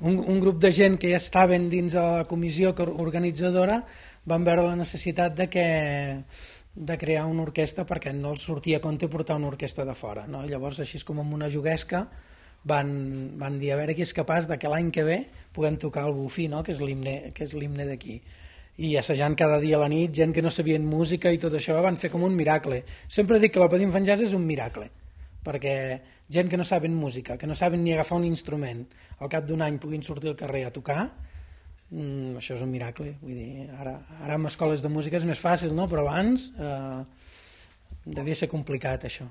un grup de gent que ja estaven dins la comissió organitzadora van veure la necessitat de crear una orquestra perquè no els sortia a compte portar una orquestra de fora, no? Llavors, així com amb una juguesca, van dir a veure qui és capaç que l'any que ve puguem tocar el bufí, no? Que és l'himne d'aquí. I assajant cada dia a la nit, gent que no sabien música i tot això, van fer com un miracle. Sempre dic que la Patim Fan Jazz és un miracle, perquè gent que no saben música, que no saben ni agafar un instrument, al cap d'un any puguin sortir al carrer a tocar, això és un miracle. Vull dir, ara amb escoles de música és més fàcil, no? Però abans devia ser complicat, això.